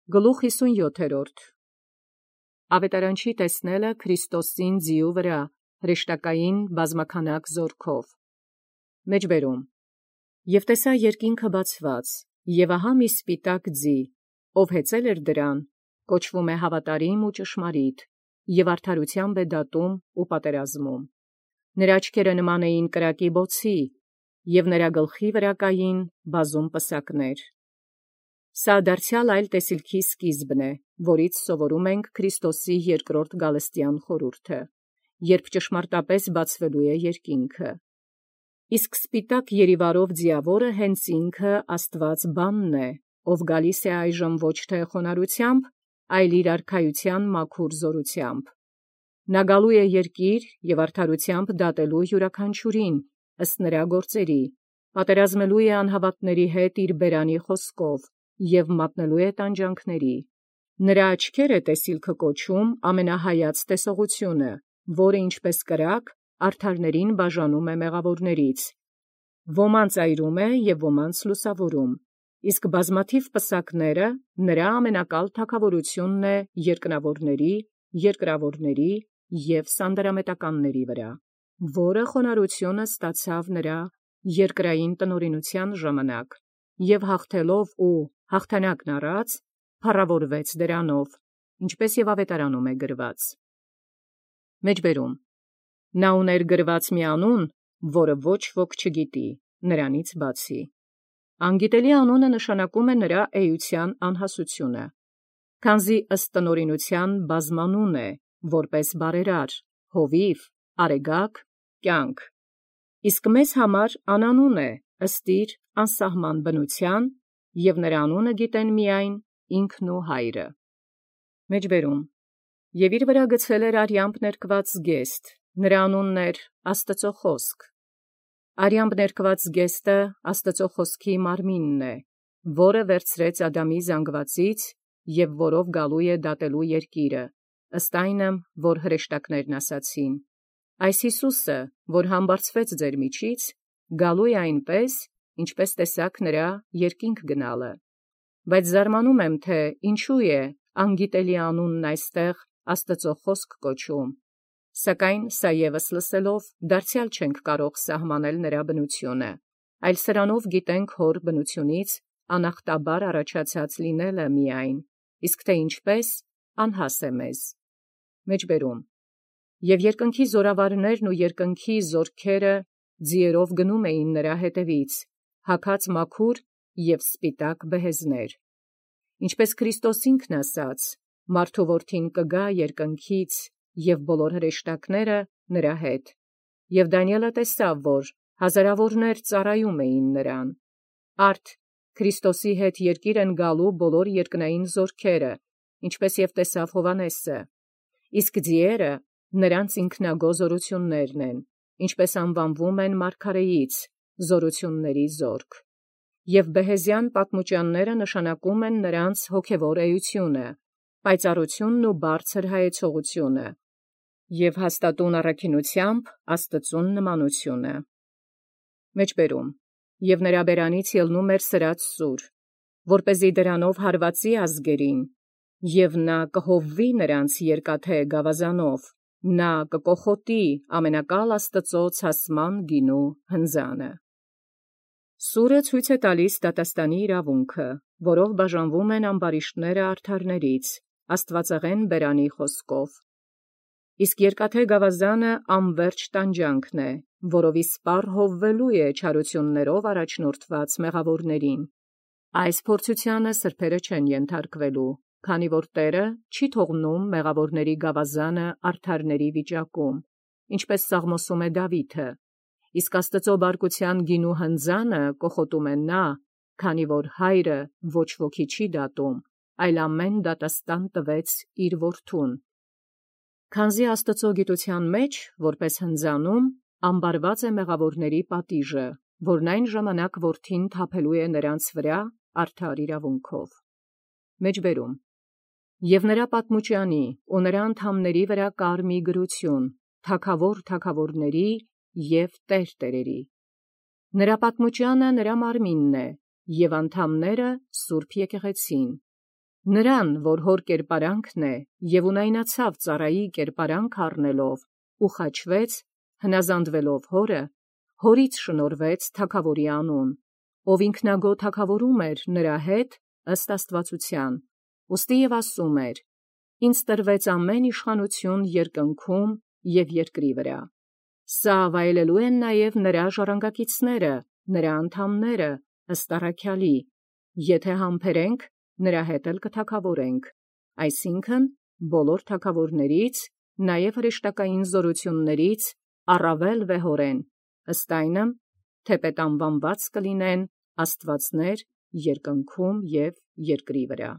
Գլուխ 57 Ավետարանչի տեսնելը Քրիստոսին ձիու վրա, հրեշտակային բազմաքանակ զորքով։ Մեջբերում. Եւ տեսա երկինքը բացված, եւ ահա մի սպիտակ ձի, ով հեծել էր դրան, կոչվում է հավատարիմ ու ճշմարիտ, եւ արդարութեամբ է դատում ու պատերազմում։ Նրա աչքերը նման էին կրակի բոցի, եւ նրա գլխի վրա կային բազում պսակներ։ Սա դարձյալ այլ տեսիլքի սկիզբն է, որից սովորում ենք Քրիստոսի երկրորդ գալստյան խորհուրդը, երբ ճշմարտապես բացվելու է երկինքը։ Իսկ սպիտակ երիվարով ձիավորը հենց ինքը Աստված բանն է, ով գալիս է այժմ ոչ թե խոնարհությամբ, այլ իր արքայության մաքուր զորությամբ։ Նա գալու է երկիր եւ արդարությամբ դատելու յուրաքանչյուրին ըստ նրա գործերի, պատերազմելու է անհավատների հետ իր բերանի խոսքով և մատնելու է տանջանքների։ Նրա աչքերը տեսիլքը կոչում ամենահայաց տեսողությունը, որը ինչպես կրակ արդարներին բաժանում է մեղավորներից։ Ոմանց այրում է և ոմանց լուսավորում, իսկ բազմաթիվ պսակները նրա ամենակալ թագավորությունն է երկնավորների, երկրավորների և սանդարամետականների վրա, որը խոնարհությունը ստացավ նրա երկրային տնօրինության ժամանակ, և հաղթելով ու հաղթանակն առած, փառավորվեց դրանով, ինչպես և ավետարանում է գրված։ Մեջբերում. Նա ուներ գրված մի անուն, որը ոչ ոք չգիտի, նրանից բացի։ Անգիտելի անունը նշանակում է նրա էության անհասությունը, քանզի ըստ տնօրինության բազմանուն է, որպես բարերար, հովիվ, արեգակ, կյանք։ Իսկ մեզ համար անանուն է, ըստ իր անսահման բնության, և նրա անունը գիտեն միայն ինքն ու Հայրը։ Մեջբերում. Եվ իր վրա գցել էր արյամբ ներկված զգեստ, նրա անունն էր Աստծո խոսք։ Արյամբ ներկված զգեստը Աստծո խոսքի մարմինն է, որը վերցրեց Ադամի զանգվածից և որով գալու է դատելու երկիրը, ըստ այնմ, որ հրեշտակներն ասացին. այս Հիսուսը, որ համբարձվեց ձեր միջից, գալու է այնպես, ինչպես տեսաք նրա երկինք գնալը։ Բայց զարմանում եմ, թե ինչու է անգիտելի անունն այստեղ Աստծո խոսք կոչում, սակայն սա ևս լսելով դարձյալ չենք կարող սահմանել նրա բնությունը, այլ սրանով գիտենք հոր բնությունից անախտաբար առաջացած լինելը միայն, իսկ թե ինչպես անհաս է մեզ։ Մեջբերում. Եւ երկնքի զորավարներն ու երկնքի զորքերը ձիերով գնում էին նրա հետևից, հագած մաքուր և սպիտակ բեհեզներ։ Ինչպես Քրիստոս ինքն ասաց, մարդու որդին կգա երկնքից և բոլոր հրեշտակները նրա հետ։ Եվ Դանիէլը տեսավ, որ հազարավորներ ծառայում էին նրան։ Արդ Քրիստոսի հետ երկիր են գալու բոլոր երկնային զորքերը, ինչպես և տեսավ Հովհաննեսը։ Իսկ ձիերը նրանց ինքնագո զորություններն են, ինչպես անվանվում են մարգարեից, զորությունների զորք։ Եվ բեհեզյան պատմուճանները նշանակում են նրանց հոգևոր էությունը, պայծառությունն ու բարձր հայեցողությունը, և հաստատուն առաքինությամբ Աստծուն նմանությունը։ Մեջբերում. Եվ նրա բերանից ելնում էր սրած սուր, որպեսզի դրանով հարվածի ազգերին, և նա կհովվի նրանց երկաթե գավազանով, նա կկոխոտի ամենակալ Աստծո ցասման գինու հնձանը։ Սուրը ցույց է տալիս դատաստանի իրավունքը, որով բաժանվում են ամբարիշտները արդարներից, աստվածեղեն բերանի խոսքով։ Իսկ երկաթե գավազանը անվերջ տանջանքն է, որով իսպառ հովվելու է չարություններով առաջնորդված մեղավորներին։ Այս փորձությանը սրբերը չեն ենթարկվելու, քանի որ Տէրը չի թողնում մեղավորների գավազանը արդարների վիճակում, ինչպես Սաղմոսում է Դավիթը, իսկ Աստծո բարկության գինու հնձանը կոխոտում է նա, քանի որ Հայրը ոչ ոքի չի դատում, այլ ամեն դատաստան տվեց իր որդուն։ Քանզի Աստծո գիտության մեջ, որպես հնձանում, ամբարված է մեղավորների պատիժը, որն այն ժամանակ որդին թափելու է նրանց վրա արդար իրավունքով։ Մեջբերում. Եվ նրա պատմուճանի ու նրա անդամների վրա կար մի գրություն, թագավոր թագավորների և տեր տերերի։ Նրա պատմուճանը նրա մարմինն է, և անդամները սուրբ եկեղեցին։ Նրան, որ հոր կերպարանքն է, և ունայնացավ ծառայի կերպարանք առնելով, ու խաչվեց, հնազանդվելով հորը, հորից շնորհվեց թագաւորի անուն, ով ինքնագոհ թագաւորում էր նրա հետ ըստ աստուածութեան, ուստի և ասում էր. «Ինձ տրվեց ամեն իշխանութիւն երկնքում և երկրի վրա»։ Սա վայելելու են նաև նրա ժառանգակիցները, նրա անդամները, ըստ առաքեալի. եթե համբերենք, նրա հետ էլ կթագաւորենք, այսինքն՝ բոլոր թագաւորաց, նաև հրեշտակային զօրութիւնաց առավել վեհորեն, ըստ այնմ, թէպէտ անուանված կլինեն աստուածներ երկնքում և երկրի վրա։